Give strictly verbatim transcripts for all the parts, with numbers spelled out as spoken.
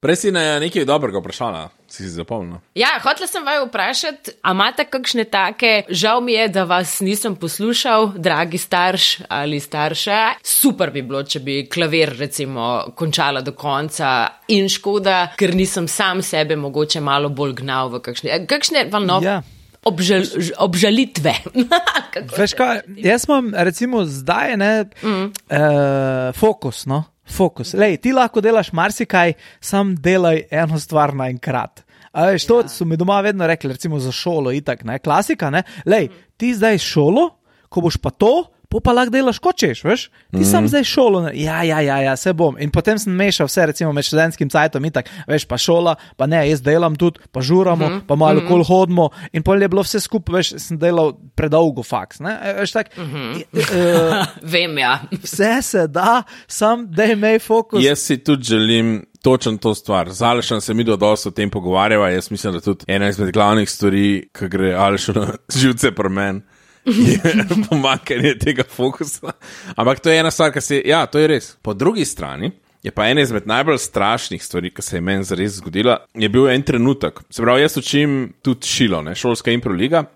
Prej si na nekaj dobrega vprašala, si si zapomnil. Ja, hotela sem vaju vprašati, a imate kakšne take, žal mi je, da vas nisem poslušal, dragi starš ali starša, super bi bilo, če bi klavir recimo končala do konca in škoda, ker nisem sam sebe mogoče malo bolj gnal v kakšne, kakšne valno... Ja. Obžal, obžalitve. Veš kaj, jaz imam recimo zdaj ne, mm. uh, fokus, no, fokus. Lej, ti lahko delaš marsikaj, sam delaj eno stvar naenkrat. A veš, to ja. So mi doma vedno rekli, recimo za šolo itak, ne, klasika, ne, lej, ti zdaj šolo, ko boš pa to, po pa lahko delaš kočeš, veš? Ti mm-hmm. sam zdaj šolo, ja, ja, ja, ja, se bom. In potem sem mešal vse, recimo med študentskim cajtom in tak, veš, pa šola, pa ne, jaz delam tudi, pa žuramo, mm-hmm. pa malo mm-hmm. kol hodimo in pol je bilo vse skupaj, veš, sem delal predolgo faks, ne? Veš, tak, mm-hmm. uh, vem, ja. Vse se da, sam daj mej fokus. Jaz si tudi želim točno to stvar. Z Alešem se mi do dosti o tem pogovarjava, jaz mislim, da tudi ena izmed glavnih stvari, ki gre Alešu na živce pri meni, je pomanjkanje tega fokusa. Ampak to je ena stvar, ki se, ja, to je res. Po drugi strani je pa ena izmed najbolj strašnih stvari, ki se je meni zares zgodila, je bil en trenutek. Se pravi, jaz učim tudi šilo, ne, šolska improliga.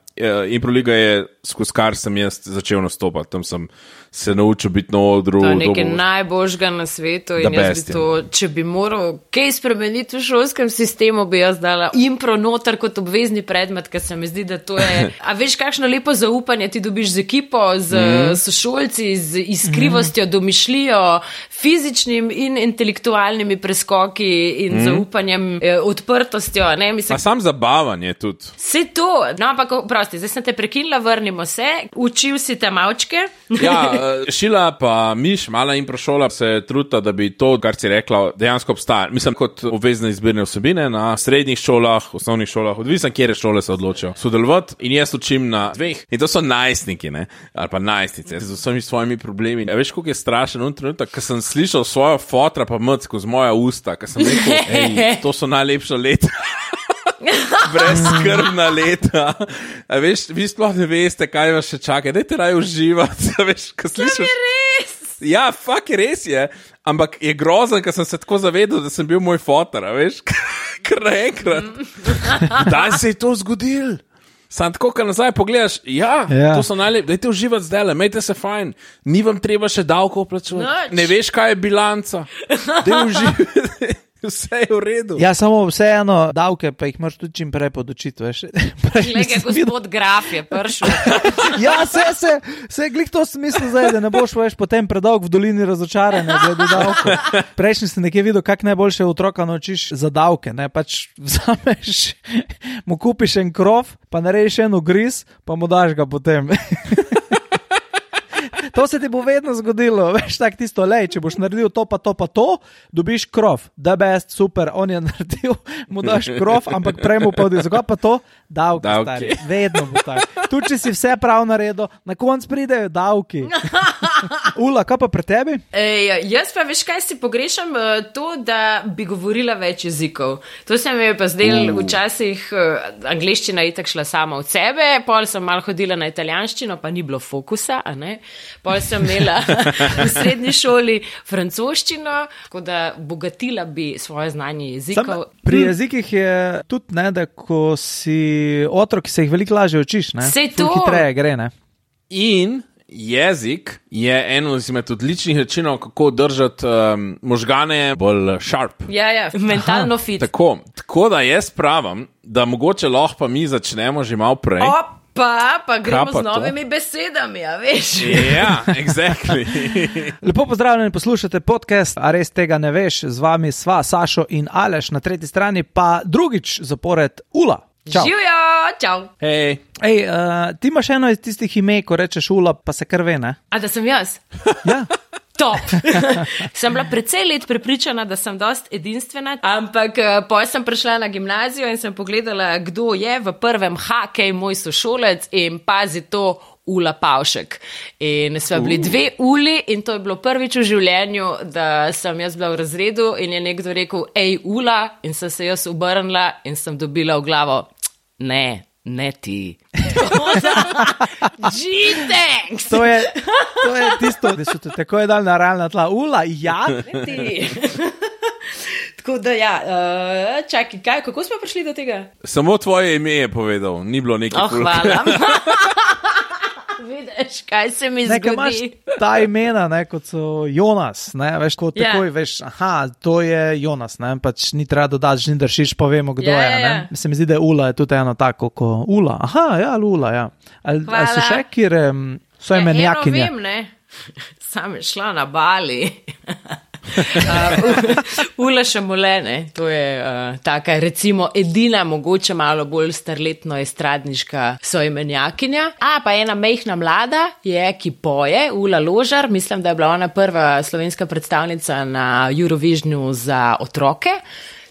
Improliga je, skozi kar sem jaz začel nastopati. Tam sem se naučil biti na odru. To je nekaj dobo... najboljšega na svetu in jaz bi to, če bi moral kaj spremeniti v šolskem sistemu, bi jaz dala impro noter kot obvezni predmet, ker se mi zdi, da to je... A veš, kakšno lepo zaupanje ti dobiš z ekipo, z mm. sošolci, z iskrivostjo, mm. domišljijo, fizičnim in intelektualnimi preskoki in mm. zaupanjem, eh, odprtostjo. Ne? Mislim, a sam zabavanje tudi. Se to, no, ampak prosti, zdaj sem te prekinila, vrnimo se, učil si te malčke. Ja, Šila pa Miš, mala improšola, se truta, da bi to, kar si rekla, dejansko obstaja. Mislim, kot obvezne izbirne vsebine na srednjih šolah, osnovnih šolah, odvisno, kjere šole se odločijo sodelovati. In jaz učim na dveh. In to so najstniki, ne? Ali pa najstnice, z vsemi svojimi problemi. A veš, koliko je strašen un trenutek, ko sem slišal svojo fotra pa mc skozi moja usta, ko sem rekel, ej, to so najlepša leta. Brezskrbna leta. A veš, vi sploh ne veste, kaj vas še čaka. Dajte raje uživati. A veš, ko slišaš... To je res. Ja, fakt je res je. Ampak je grozen, ker sem se tako zavedal, da sem bil moj fotor, a veš. Kar naenkrat. Da se je to zgodil. Sam tako, ko nazaj pogledaš, ja, ja. To so najlepši. Dajte uživati zdaj, imejte se fajn. Ni vam treba še davkov plačevati. Ne veš, kaj je bilanca. Daj uživati. Vse je v redu. Ja, samo vseeno davke, pa jih moraš tudi čim prej podočiti, veš. Glede, gospod Graf je pršel. Ja, se, se, se, glih to smisel zdaj, da ne boš, veš, potem predolg v dolini razočaranja glede davke. Prejšnji si nekje videl, kak najboljše otroka naučiš za davke, ne, pač vzameš, mu kupiš en krov, pa narediš en ugriz, pa mu daš ga potem. To se ti bo vedno zgodilo, veš, tak tisto, lej, če boš naredil to pa to pa to, dobiš krov, the best, super, on je naredil, mu daš krov, ampak prej mu povedi, zakaj pa to? Davki, stari, vedno bo tako. Tu, če si vse prav naredil, na konc pridejo davki. Ula, kaj pa pri tebi? Ej, jaz pa veš, kaj si pogrešam, to, da bi govorila več jezikov. To se mi je pa zdel uh. včasih, angleščina je tak šla sama od sebe, pol sem malo hodila na italijanščino, pa ni bilo fokusa, a ne? Pol sem imela v srednji šoli francoščino, tako da bogatila bi svoje znanje jezikov. Sam, pri jezikih je tudi, ne, da ko si otrok, se jih veliko lažje učiš, ne? Sej to. Hitreje gre, ne? In jezik je eno izmed odličnih načinov, kako držati um, možgane bolj sharp. Ja, ja, mentalno fit. Tako, tako da jaz pravim, da mogoče lahko pa mi začnemo že malo prej. Op. Pa, pa gremo pa z novimi to? besedami, a veš? Ja, yeah, exactly. Lepo pozdravljeni, poslušate podcast, a res tega ne veš, z vami sva Sašo in Aleš, na tretji strani pa drugič zapored Ula. Čau. Živijo, čau. Hej. Ej, uh, ti imaš eno iz tistih ime, ko rečeš Ula, pa se kar ve, ne? A da sem jaz? Ja. Top. Sem bila precej let prepričana, da sem dost edinstvena, ampak potem sem prišla na gimnazijo in sem pogledala, kdo je v prvem hakej moj sošolec in pazi to, Ula Pavšek. In sva bili uh. dve Uli in to je bilo prvič v življenju, da sem jaz bila v razredu in je nekdo rekel, ej Ula, in sem se jaz obrnila in sem dobila v glavo, ne, ne ti. Gee, thanks. To je, to je tisto, da so te tako je dal na realna tla. Ula, ja. Ne ti. Tako da, ja, uh, čakaj, kaj, kako smo prišli do tega? Samo tvoje ime je povedal, ni bilo nekaj. Oh, hvala. Vidiš, kaj se mi zgodi. Nekaj imaš ta imena, ne, kot so Jonas, ne, veš, kot Ja. takoj veš, aha, to je Jonas, ne, pač ni treba dodati, že ni dršiš, pa vemo, kdo Ja, je, ja, ne. ja. Se mi zdi, da je Ula je tudi eno tako, ko Ula, aha, ja, Ula, ja. Ali, ali so Hvala. še, kjer um, so Ja, imenjakinje? eno vem, ne. Sam je šla na Bali. uh, Ula Šamolene, to je uh, taka recimo edina, mogoče malo bolj starletno estradniška soimenjakinja. A, pa ena mehna mlada je, ki poje, Ula Ložar, mislim, da je bila ona prva slovenska predstavnica na Eurovisionu za otroke.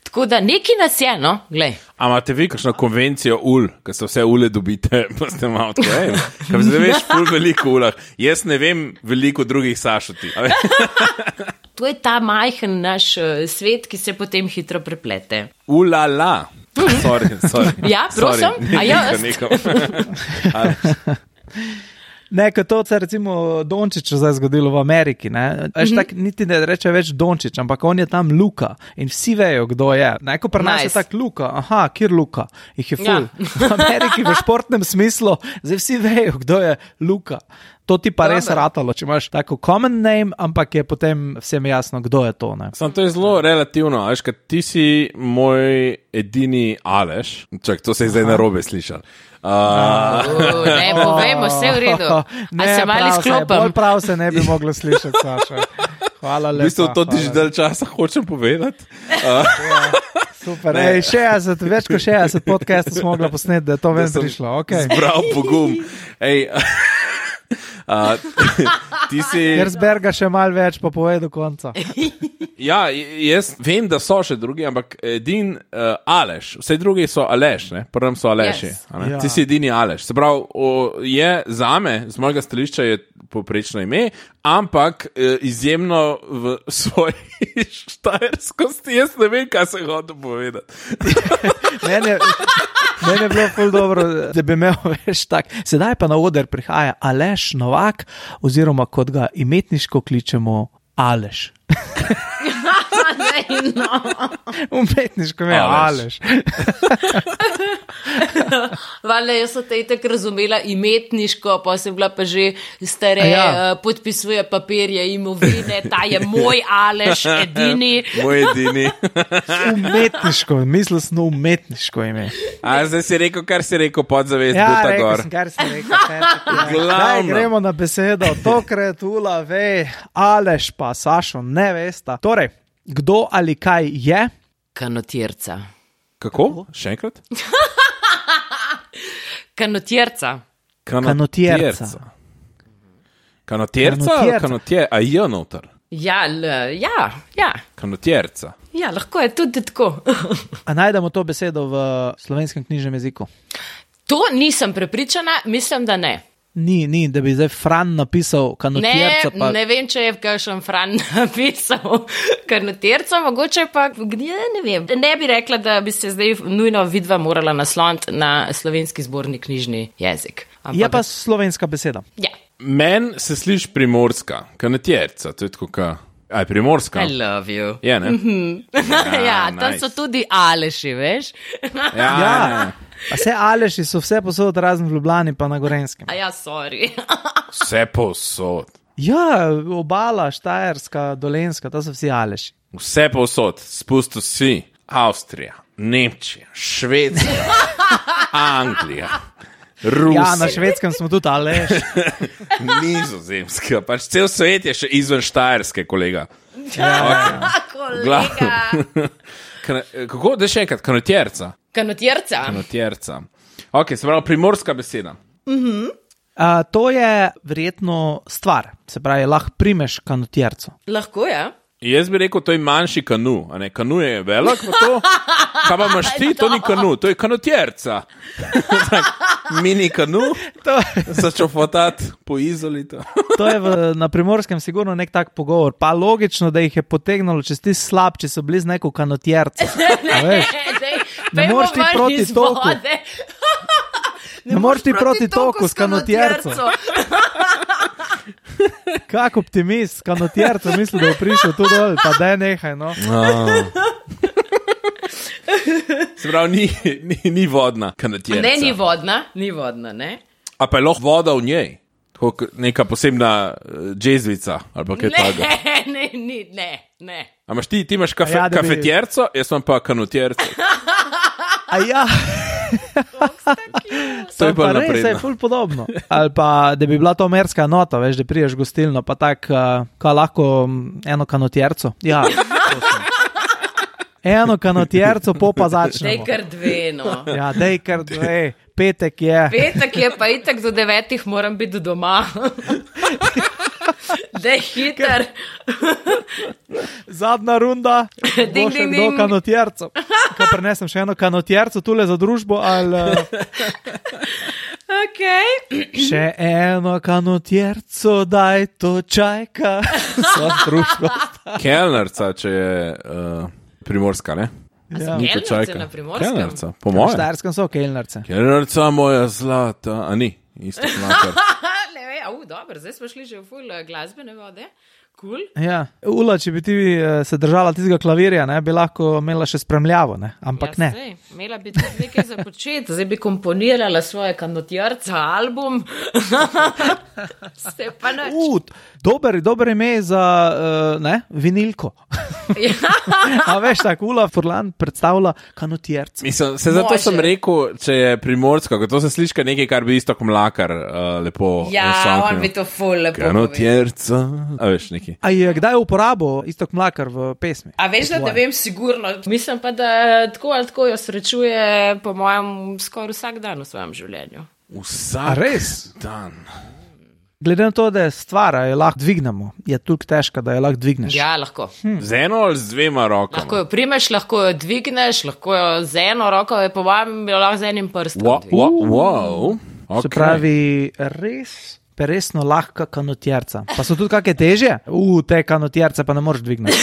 Tako da neki nas je, no, glej. A imate vi kakšno konvencijo ul, ko se vse ule dobite, pa ste malo tako, ej, kaj zdaj veš ful veliko ulah. Jaz ne vem veliko drugih Sašoti. A ve- To je ta majhen naš uh, svet, ki se potem hitro preplete. Ulala. Sorry, sorry. Ja, prosim. Sorry. A jaz? Nekam, nekam. Ne, kot to se recimo Dončiću zdaj zgodilo v Ameriki, ne, veš, tak niti ne reče več Dončić, ampak on je tam Luka in vsi vejo, kdo je. Ne, ko pri nas Nice. je tak Luka, aha, kjer Luka, jih je ful. Ja. V Ameriki v športnem smislu, zdaj vsi vejo, kdo je Luka. To ti pa res Dobro. ratalo, če imaš tako common name, ampak je potem vsem jasno, kdo je to, ne. Sam to je zelo relativno, veš, kad ti si moj edini Aleš, čak, to se je zdaj narobe slišal. Uh, Uh, ne, povejmo, vse v redu. A Ne, se malo prav se, bolj izklopim? prav se ne bi moglo slišati, Saša. Hvala v lepa. bistvu to ti že hvala. dalj časa hočem povedati. Super, ej, šestdeset, več kot šestdeset podcastov smo mogli posneti, da je to ven sem prišlo, okej. Zbral pogum. Ej, uh, ti si... Kersberga še malo več, pa povej do konca. Ja, jaz vem, da so še drugi, ampak edin uh, Aleš, vse drugi so Aleš, ne? Prvem so Aleši. Yes. a ne? Ja. Ti si edini Aleš. Se pravi, o, je zame, z mojega stališča je poprečno ime, ampak eh, izjemno v svoji štajerskosti. Jaz ne vem, kaj se hoče povedati. Mene, mene je bilo ful dobro, da bi imel več tak. Sedaj pa na oder prihaja Aleš Novak, oziroma kot ga imetniško kličemo Aleš. Ne, no. Umetniško ime je Aleš. Aleš. Valjda, jaz sem te itak razumela imetniško, pa sem bila pa že stare, A ja. ja. podpisuje papirje imovine, ta je moj Aleš, edini. Moj edini. Umetniško, mislil sem na umetniško ime. A zdaj si rekel, kar si rekel, podzavest, Ja, buta rekel gor. sem, kar sem rekel. Daj, Glavno. gremo na besedo. Tokrat Ula ve, Aleš pa Sašo ne vesta. Torej, kdo ali kaj je? Kanotirca. Kako? Še enkrat? Kanotirca. Kanotjerca. Kanotjerca ali Kanotjerca. kanotjer? A je noter? Ja, l, ja, ja. Kanotjerca. Ja, lahko je tudi tako. A najdemo to besedo v slovenskem knjižnem jeziku? To nisem prepričana, mislim, da ne. Ni, ni, da bi zdaj Fran napisal Ne, kanotjerca. Pa... ne vem, če je kakšen Fran napisal kanotirca, mogoče pa, ja, ne vem. Ne bi rekla, da bi se zdaj nujno vidva morala nasloniti na slovenski zborni knjižni jezik. Ampak, Je pa slovenska beseda. Ja, Men se sliši primorska, kanotjerca, to je tako ka... Aj, primorska. I love you. Je, ne? Ja, ja tam nice. so tudi Aleši, veš? Ja, Ja. ja. A vse Aleši so vse posod razen v Ljubljani pa na Gorenskem. A ja, sorry. Vse povsod. Ja, obala, Štajerska, Dolenska, to so vsi Aleši. Vse povsod. Spustil si Avstrija, Nemčija, Švedska, Anglija, Rusija, Ja, na Švedskem smo tudi Aleš. Nizozemska. Pač cel svet je še izven Štajerske, kolega. Kolega. Kan- Kako? Da še enkrat, kanotjerca. Kanotirca. Kanotjerca. Ok, se pravi primorska beseda. A, to je verjetno stvar, se pravi, lahko primeš kanotjerco. Lahko je. Jaz bi rekel, to je manjši kanu, a ne, kanu je velik, pa to, kaj pa imaš ti, to ni kanu, to je kanotjerca. Tak, mini kanu, To, začel fotati po izolito. to je v, na Primorskem sigurno nek tak pogovor. Pa logično, da jih je potegnilo, če si slab, če so bili z neko kanotjerco. A veš? Ne moreš ti proti toku. Ne moreš ti proti toku s kanotjerco. Kak optimist, kanotjerco, misli, da bo prišel tu dol, pa daj nehaj, no. Oh. Se pravi, ni, ni, ni vodna kanotjerca. Ne, ni vodna, ni vodna, ne. A pa je lahko voda v njej? Tako neka posebna uh, džezvica ali pa kaj takega. Ne, ne, ni, ne, ne. A imaš ti, ti imaš kafe, Ja, da bi- kafetjerco, jaz imam pa kanotjerco. A ja, To je pa bolj res, je napredno. ful podobno. Ali pa, da bi bila to merska nota, veš, da priješ gostilno, pa tak, uh, ka lahko mm, eno kanotjerco. Ja, prosim. Eno kanotjerco, po pa Dej začnemo. kar dve, no. Ja, dej kar dve, petek je. Petek je pa itak do devetih moram biti doma. Dej hiter. Zadnja runda, Ding, bo še ding, kdo ding. kanotjerco. Ko prinesem še eno kanotjerco tule za družbo, ali uh, Ok. še eno kanotjerco, daj to čajka. Za družbo. Kelnerca, če je uh, primorska, ne? Ja. Ni to Kelnerce čajka. na Primorskem? Kelnerca, po Na mojem. Štajerskem so kelnerce. Kelnerca moja zlata, a ni, isto mlakar. Ne, ve, au, dobro, zdaj smo šli že v ful eh, glasbene vode. Cool. Ja, Ula, če bi ti eh, se držala tistega klavirja, ne, bi lahko imela še spremljavo, ne? Ampak ja, ne. Sej, imela bi tudi nekaj za početi, zdaj bi komponirala svoje kanotjarca album. Ste pa nič. Uh, dober, dober ime za uh, ne, vinilko. Ja. A veš, tako Ula Furlan predstavlja kanotjerce. Mislim, se zato Može. sem rekel, če je primorska, ker to se sliši kot nekaj, kar bi isto kot mlakar uh, lepo Ja, vsaknil. on bi to ful lepo povedal. Kanotjerca, a veš neki. A je kdaj uporabo Istok Mlakar v pesmi? A veš, da ne vem sigurno. Mislim pa, da tako ali tako jo srečuje po mojem skoraj vsak dan v svojem življenju. Vsak A res? dan. Glede na to, da je stvar, a jo lahko dvignemo, je toliko težka, da jo lahko dvigneš. Ja, lahko. Z eno ali z dvema rokama? Lahko jo primeš, lahko jo dvigneš, lahko jo z eno roko, je po mojem jo lahko z enim prstom. Wow, dvigneš. wow, wow. Okay. Se pravi, res, resno lahka kanotjerca. Pa so tudi kakšne težje? U, te kanotjerce pa ne moreš dvigniti.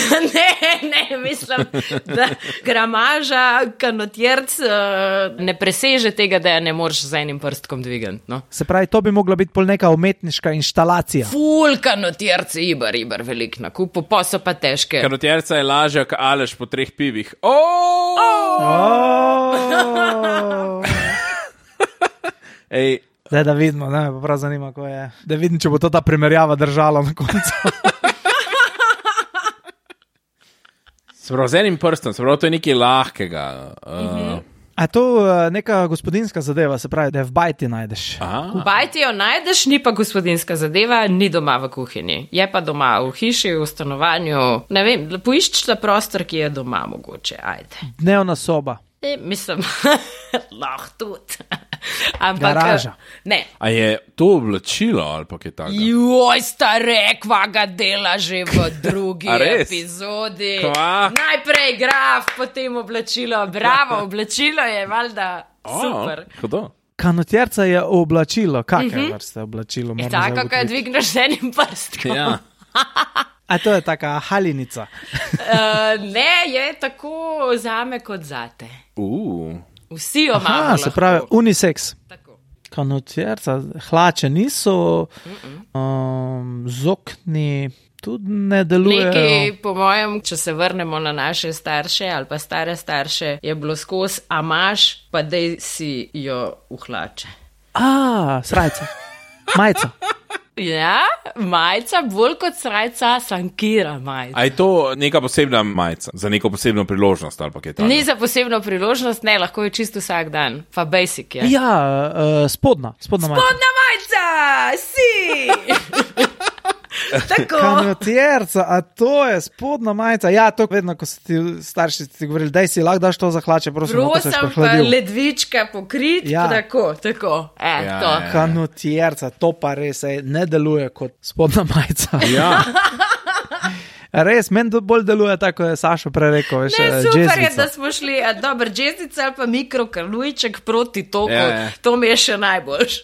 Ne, ne, mislim, da gramaža kanotjerc uh, ne preseže tega, da je ne moreš z enim prstkom dvigati. No. Se pravi, to bi mogla biti pol neka umetniška inštalacija. Ful kanotjerc, ibar, ibar, velik na kupu, pa so pa težke. Kanotjerca je lažja, kot Aleš po treh pivih. Oh! Oh! Ej, Zdaj, da vidimo, ne, me pa prav zanima, ko je. Da vidim, če bo to ta primerjava držala na koncu. se pravi, z enim prstom, se pravi, to je nekaj lahkega. Uh, A je to uh, neka gospodinska zadeva, se pravi, da je v bajti najdeš. aha. Bajti jo najdeš, ni pa gospodinska zadeva, ni doma v kuhinji. Je pa doma v hiši, v stanovanju. Ne vem, poišči ta prostor, ki je doma mogoče. Ajde. Dnevna soba. E, mislim, lahko tudi. Ampak, Garaža. Ne. A je to oblačilo ali pa kaj takega? Joj, stare, kva ga dela že v drugi A res? epizodi. Kva? Najprej graf, potem oblačilo. Bravo, oblačilo je valjda super. Oh, hudo. Kanotjerca je oblačilo. Kakšne uh -huh. vrste oblačilo? Je moram tako, zdaj ko jo ugotoviti. dvigneš z enim prstom. Ja. A to je taka halinica. Uh, ne, je tako zame kot zate. Uh. Vsi jo imamo. Aha, se lahko. pravi, unisex. Tako. Kanotjerca, hlače niso, um, zokni tudi ne delujejo. Nekaj, po mojem, če se vrnemo na naše starše ali pa stare starše, je bilo skozi, a imaš, pa dej si jo v hlače. A, srajca, majica. Ja, majica, bolj kot srajca, sankira majica. A je to neka posebna majica, za neko posebno priložnost ali pa kaj takega? Ni za posebno priložnost, ne, lahko je čisto vsak dan, pa basic je. Ja, uh, spodna, spodna majica. Spodna majica, si! Tako. Kanotjerca, a to je spodna majica. Ja, to vedno, ko so ti starši ti govorili, daj si, lahko daš to za hlače, prosim, no, ko se Prosim, pa prehladil. ledvička pokrit, Ja. ja. tako, tako. E, Ja, ja, to. ja. Kanotjerca, to pa res ej, ne deluje kot spodna majica. Ja. Res, meni to bolj deluje tako, kot je Sašo prej rekel. Veš, Ne, eh, super je, jazzvica. da smo šli, a, dober, džezdica ali pa mikrokalujček proti toku, Ja, ja. to mi je še najboljš.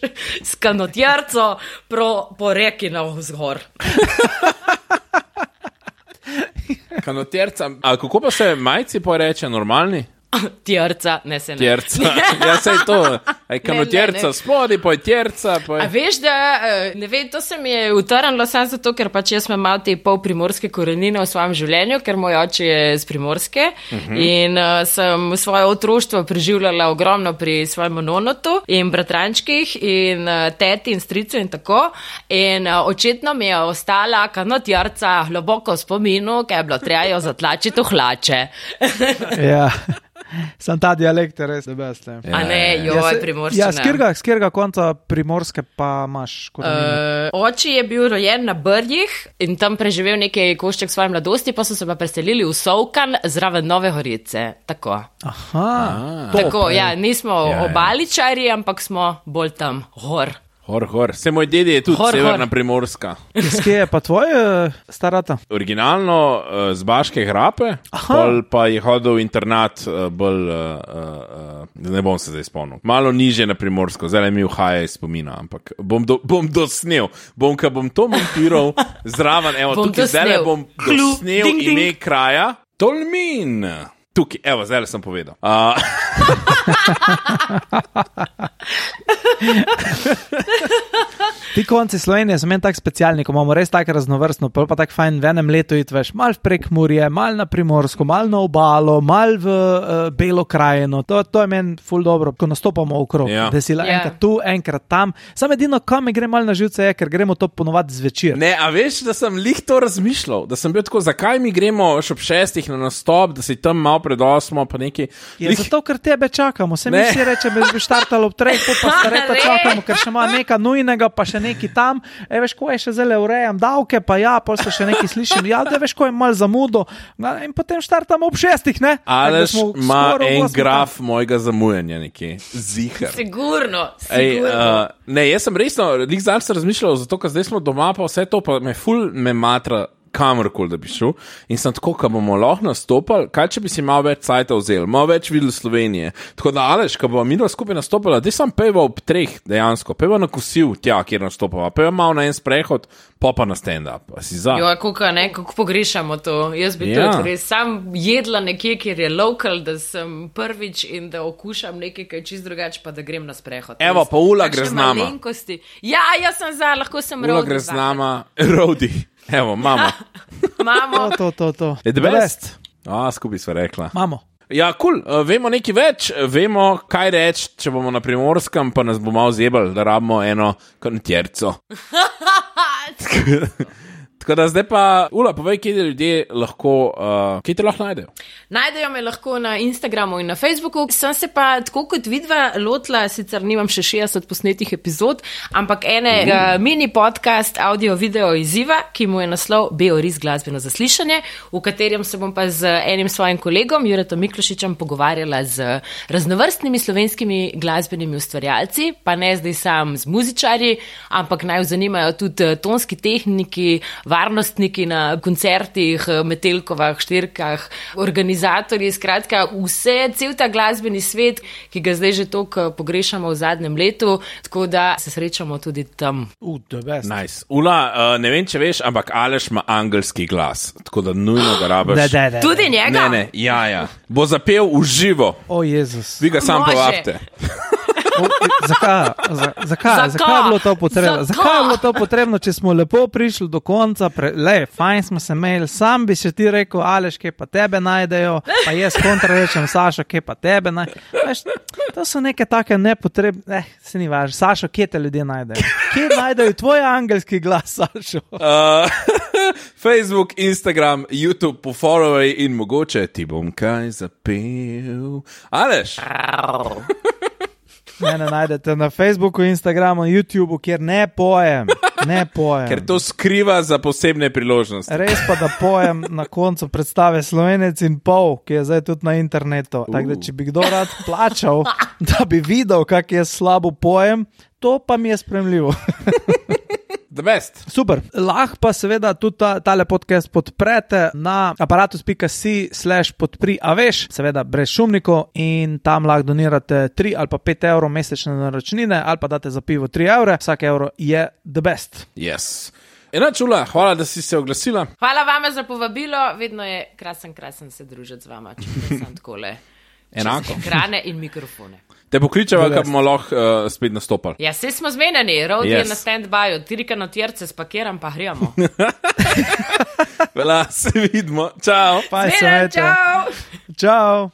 S kanotjarco pro, po reki navzgor. Kanotjerca. A kako pa se majci poreče, normalni? Tjerca, ne se ne. Tjerca, ja sej to, aj kam Ne, je tjerca ne, ne. spodi, pa je tjerca, pa A je... veš, da, eh, ne vem, to se mi je utrnilo samo zato, ker pač jaz imam malo te pol primorske korenine v svojem življenju, ker moj oče je z Primorske uh -huh. in uh, sem svoje otroštvo preživljala ogromno pri svojem nonotu in bratrančkih in uh, teti in stricu in tako. In uh, očetno mi je ostala kanotjarca globoko v spominu, ker je bilo treba jo zatlačiti v hlače. Ja. Sam ta dialekt je res debest. Ja, A ne, ja, joj, se- primorščina. ja, s katerega- s katerega konca Primorske pa imaš korenine? Uh, oči je bil rojen na Brjih in tam preživel nekaj košček svoje mladosti, pa so se pa preselili v Sovkan zraven Nove Gorice. Tako. Aha, Tako, ja, nismo Ja, ja. obaličari, ampak smo bolj tam gor. Hor, hor. Se moj dedi je tudi Hor, severna hor. Primorska. Iz kje je pa tvoj uh, starata? Originalno uh, z Baške grape, pol pa je hodil v internat uh, bolj, uh, uh, ne bom se zdaj spomnil, malo niže na Primorsko, zdaj mi vhaja iz spomina, ampak bom, do, bom dosnel, bom, ka bom to montiral zraven, evo, Bom tukaj zdaj dosnel. bom Klu, dosnel ding, ding. ime kraja, Tolmin. Tukaj, evo, zdaj sem povedal. Uh, Ti konci Slovenije so meni tako specialni, ko imamo res tako raznovrstno, pol pa tako fajn v enem letu iti veš, mal v Prekmurje, mal na Primorsko, mal na obalo, mal v uh, Belo krajino. To, to je meni ful dobro, ko nastopamo okrog, Ja. da si la Ja. enkrat tu, enkrat tam. Sam edino, kam mi gre mal na živce, je, ker gremo to ponovadi zvečer. Ne, a veš, da sem lih to razmišljal, da sem bil tako, zakaj mi gremo še ob šestih na nastop, da si tam malo pred osmo, pa neki. Je ja, zato, ker tebe čakamo. Se mi Ne. vsi reče, da bi štartalo ob treh, pol pa se reka Ne. čakamo, ker še ima nekaj nujnega, pa še neki tam. E, veš, ko je še zelo urejam davke, pa ja, pol se še neki slišim. Ja, da veš, ko je mal zamudo. Na, in potem štartamo ob šestih, ne? Aleš Tako da smo ima skoraj ob en osmih graf mojega zamujanja nekje, zihar. Sigurno, Ej, sigurno. uh, ne, jaz sem resno, lik zdaj sem razmišljal, zato ker zdaj smo doma, pa vse to, pa me ful me matra kamorkoli, da bi šel. In sem tako, ko bomo lahko nastopali, kaj če bi si malo več cajta vzeli, malo več videli Slovenije. Tako da, Aleš, ko bomo mi dva skupaj nastopili, da sem peva ob treh dejansko, peva na kosil tja, kjer nastopava, peva malo na en sprehod, pa pa na stand-up. A si za? Jo, kako ne, kako pogrešamo to. Jaz bi Ja. tudi res sam jedla nekje, kjer je lokal, da sem prvič in da okušam nekaj, kaj je čist drugače, pa da grem na sprehod. Evo, Res, pa Ula takšne gre z nama. malenkosti. Ja, jaz sem za, lahko sem Ula road gre z designer. nama, Rodi. Evo, mama. Imamo. To, to, to, to. Je the The best. A, skupaj sva rekla. Imamo. Ja, kul, cool. uh, vemo nekaj več, vemo, kaj reči, če bomo na Primorskem, pa nas bo malo zebal, da rabimo eno kontjerco. Tako da zdaj pa, Ula, povej, kje te ljudje lahko, uh, kje te lahko najdejo? Najdejo me lahko na Instagramu in na Facebooku. Sem se pa tako kot vidva lotila, sicer nimam še šestdeset posnetih epizod, ampak enega uh. mini podcast audio-video izziva, ki mu je naslov Beoris glasbeno zaslišanje, v katerem se bom pa z enim svojim kolegom, Juretom Miklošičem, pogovarjala z raznovrstnimi slovenskimi glasbenimi ustvarjalci, pa ne zdaj sam z muzičarji, ampak naj jo zanimajo tudi tonski tehniki, varnostniki na koncertih, metelkovah, štirkah, organizatorji, skratka vse, cel ta glasbeni svet, ki ga zdaj že toliko pogrešamo v zadnjem letu, tako da se srečamo tudi tam. Uh, the best. Nice. Ula, uh, ne vem, če veš, ampak Aleš ima angelski glas, tako da nujno ga rabiš. Ne, ne, ne. Tudi njega? Ne, ne, ja, ja. Bo zapel v živo, O, Jezus. vi ga sam Može. povabite. O, zakaj, za, zakaj, Zakaj? zakaj je bilo to potrebno? Zakaj? Zakaj je bilo to potrebno, če smo lepo prišli do konca, pre, le, fajn smo se imeli, sam bi še ti rekel, Aleš, kje pa tebe najdejo, pa jaz kontra rečem, Sašo, kje pa tebe najdejo. Veš, to so neke take nepotrebne, eh, se ni važno, Sašo, kje te ljudje najdejo? Kje najdejo tvoj angelski glas, Sašo? Uh, Facebook, Instagram, YouTube, pofollowaj in mogoče ti bom kaj zapel. Aleš? Mene najdete na Facebooku, Instagramu, YouTubeu, kjer ne pojem, ne pojem. Ker to skriva za posebne priložnosti. Res pa, da pojem na koncu predstave Slovenec in pol, ki je zdaj tudi na internetu. Tako da, če bi kdo rad plačal, da bi videl, kak jaz slabo pojem, to pa mi je spremljivo. The best. Super. Lahko pa seveda tudi ta, tale podcast podprete na aparatus.si slash podpri, a veš, seveda brez šumnikov in tam lahko donirate tri ali pa pet evrov mesečne naročnine ali pa date za pivo tri evre, vsak evro je the best. Yes. Enač, Ula, hvala, da si se oglasila. Hvala vama za povabilo, vedno je krasen, krasen se družiti z vama, če sem takole. Enako. Ekrane in mikrofone. Te pokličeva, da bomo lahko uh, spet nastopali. Ja, vse smo zmenjeni, Rod yes. je na stand-byu, tirika na tjerce spakiram, pa gremo. Vela, se vidimo. Čau. Pa Zmenjen, čau. Čau.